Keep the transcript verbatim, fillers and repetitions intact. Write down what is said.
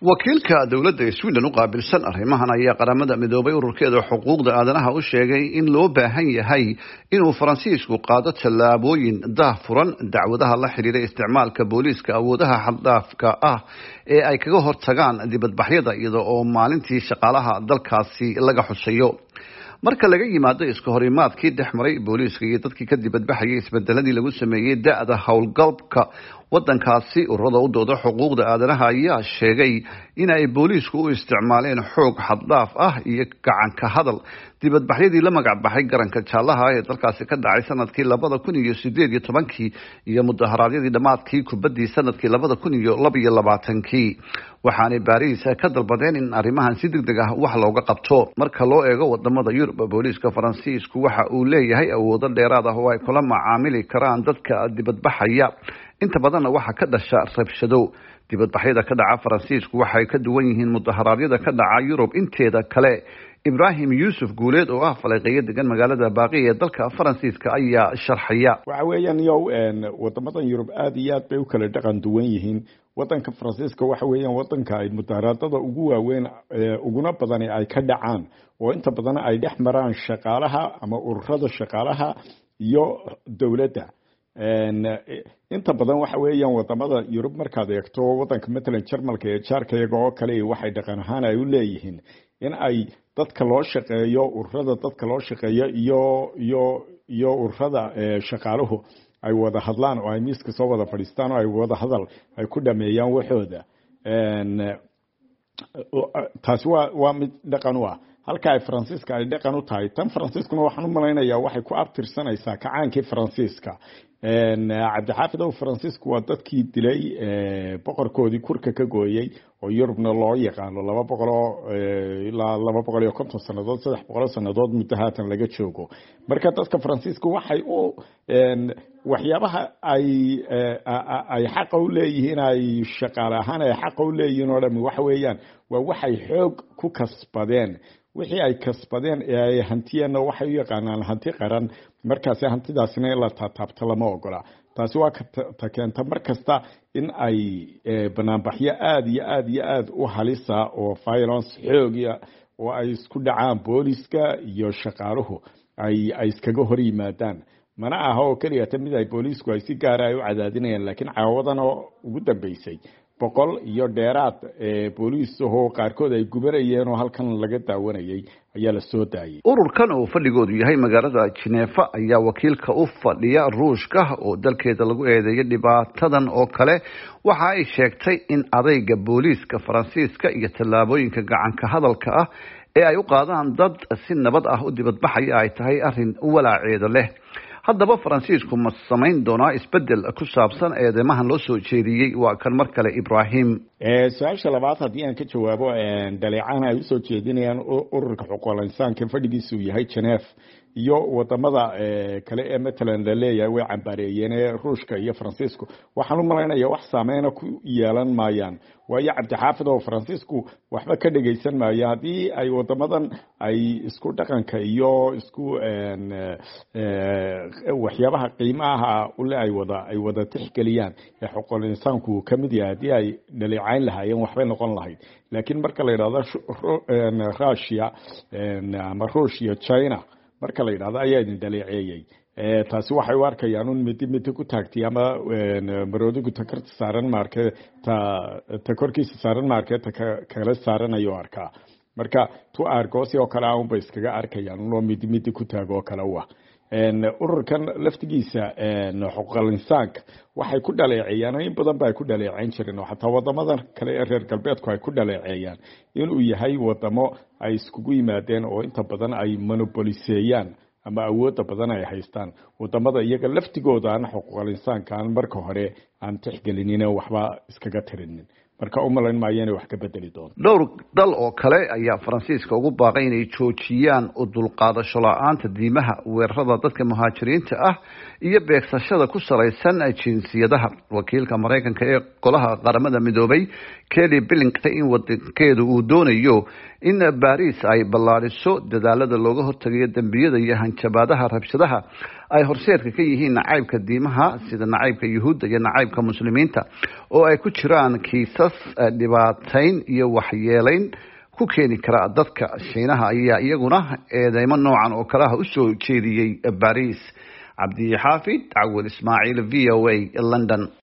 Wakiilka dowladda Sweden u qaabilsan arrimahan ayaa Qaramada Midoobay ururkeeda xuquuqda aadanaha u sheegay in loo baahan yahay inuu Faransiisku qaado tallaabooyin daah furan dacwadaha la xiriira isticmaalka booliiska awoodaha xaddhaafka ah ee ay kaga hortagaan dibadbaxyada, iyada oo maalintii shaqaalaha dalkaasi laga xusayo. Marka laga yimaado iska horimaadkii dhex maray booliiska iyo dadkii ka dibadbaxayay isbedeladii lagu sameeyey da-da howlgalka wadankaasi, ururada u dooda xuquuqda aadanaha ayaa sheegay in ay booliisku u isticmaaleen xoog xaddhaaf ah iyo gacanka hadal dibadbaxyadii la magac baxay Garanka Jaalaha ee dalkaasi ka dhacay sanadkii labada kun iyo sideed iyo tobankii iyo mudaharaadyadii dhammaadkii kubaddii sanadkii labada kun iyo laba iyo labaatankii. Waxaanay Baariis ka dalbadeen in arrimahan si deg deg ah wax looga qabto. Marka loo eego wadamada Yurub, booliiska Faransiisku waxa uu leeyahay awoodo dheeraad ah oo ay kula macaamili karaan dadka dibadbaxaya. Inta badanna waxaa ka dhasha rabshado. Dibadbaxyada ka dhaca Faransiisku waxay ka duwan yihiin mudaharaadyada ka dhaca Yurub inteeda kale. Ibraahim Yuusuf Guuleed oo ah falanqeeyo degan magaalada Baaqi ee dalka Faransiiska ayaa sharxaya. Waxa weeyaan yow, wadamadan Yurub aada iyo aad bay u kala dhaqan duwan yihiin. Wadanka Faransiiska waxa weeyaan wadanka ay mudaharaadada ugu waaweyn, uguna badani ay ka dhacaan, oo inta badan ay dhex maraan shaqaalaha ama ururada shaqaalaha iyo dowladda. Inta badan waxa weeyaan wadamada Yurub markaad eegto, wadanka matalan Jarmalka ee jaarka iyaga oo kale, waxay dhaqan ahaan ay u leeyihiin in ay dadka loo shaqeeyo, ururada dadka loo shaqeeyo iyo iyo iyo ururada shaqaaluhu ay wada hadlaan oo ay miiska soo wada fadhiistaan oo ay wada hadal ay ku dhameeyaan waxooda. Taasi waa waa mid dhaqan u ah, halka ay Faransiiska ay dhaqan u tahay. Tan Faransiiskuna waxaan u malaynayaa waxay ku abtirsanaysaa kacaankii Faransiiska. Cabdixaafid ow, Faransiisku waa dadkii dilay boqorkoodii, kurka ka gooyey, oo Yurubna loo yaqaano laba boqoloo ilaa laba boqol iyo konton sannadood, saddex boqoloo sannadood muddo haatan laga joogo. Marka dadka Faransiiska waxay u waxyaabaha ay ay xaqa u leeyihiin, ay shaqaale ahaan ay xaqa u leeyihiin oo dhami, waxa weeyaan waa waxay xoog ku kasbadeen. Wixii ay kasbadeen ee ay hantiyeenna waxay u yaqaanaan hanti qaran. Markaasi hantidaasina in la taataabto lama ogola. Taasi waa ta keenta mar kasta in ay banaanbaxyo aada iyo aada iyo aada u halisa oo violence xoogia oo ay isku dhacaan booliska iyo shaqaaluhu ay ay iskaga hor yimaadaan. Mana aha oo keliya ta mid ay booliisku ay si gaara ay u cadaadinayaan, laakiin caawadan oo ugu dambeysay boqol iyo dheeraad booliis ahoo qaarkood ay gubanayeen oo halkan laga daawanayay ayaa la soo daayay. Ururkan oo fadhigoodu yahay magaalada Jineefa ayaa wakiilka u fadhiya Ruushka, oo dalkeeda lagu eedeeyo dhibaatadan oo kale, waxa ay sheegtay in adayga booliiska Faransiiska iyo tallaabooyinka gacanka hadalka ah ee ay u qaadaan dad si nabad ah u dibadbaxaya ay tahay arrin walaaceeda leh. Haddaba Faransiisku ma samayn doonaa isbedel ku saabsan eedeymahan loo soo jeediyey? Waa kan mar kale Ibrahim. Su-aasha labaad haddii aan ka jawaabo, dhaleecaan ay usoo jeedinayaan ururka xuquuqul insaanka fadhigiisu yahay Geneve iyo wadamada kale ee matalan la leeyahay way cambaareeyeen ee Ruushka iyo Faransiisku, waxaan u malaynaya wax saameyna ku yeelan maayaan. Waayo, Cabdixaafid oo, Faransiisku waxba ka dhegaysan maayo haddii ay wadamadan ay isku dhaqanka iyo isku waxyaabaha qiimaha ule ay wada ay wada tixgeliyaan ee xuquuqul insaanku uu kamid yahay. Haddii ay dhaleecayn lahaayeen, waxbay noqon lahayd, laakiin marka la yidhahdo Russia ama Ruushia, China marka la yidhahdo ayaa idin dhaleeceeyey, taasi waxay u arkayaan un midi midi ku taagtay ama maroodigu ta karta saaran maarke, ta ta korkiisa saaran maarke, ta kala saaran ayuu arkaa. Marka tu argoosi oo kale ah unbay iskaga arkayaan unoo midi midi ku taag oo kale u ah. Ururkan laftigiisa xuquuqal insaanka waxay ku dhaleeceeyaan, in badan ba ay ku dhaleeceyn jireen oo xataa wadamadan kale ee reer galbeedku ay ku dhaleeceeyaan, inuu yahay wadamo ay iskugu yimaadeen oo inta badan ay monopoliseeyaan ama awoodda badan ay haystaan wadamada iyaga laftigooda aan xuquuqal insaanka aan marka hore aan tixgelinin, waxba iskaga tirinin. Marka u malayn maayo inay wax ka bedeli doonto. Dhowr dal oo kale ayaa Faransiiska ugu baaqay inay joojiyaan u dulqaadasho la-aanta diimaha, weerarada dadka muhaajiriinta ah iyo beegsashada ku salaysan jinsiyadaha. Wakiilka Maraykanka ee golaha Qaramada Midoobay, Kelly Billington, in wadankeedu uu doonayo in Baris ay ballaadhiso dadaalada looga hortagayo dembiyada iyo hanjabaadaha rabshadaha, ay horseedka ka yihiin nacaybka diimaha, sida nacaybka Yuhuudda iyo nacaybka Muslimiinta, oo ay ku jiraan kiisas dhibaatayn iyo waxyeelayn ku keeni kara dadka. Shiinaha ayaa iyaguna eedeymo noocan oo kaleha usoo jeediyey Baris. Cabdixaafid Cawil Ismaaciil, V O A, London.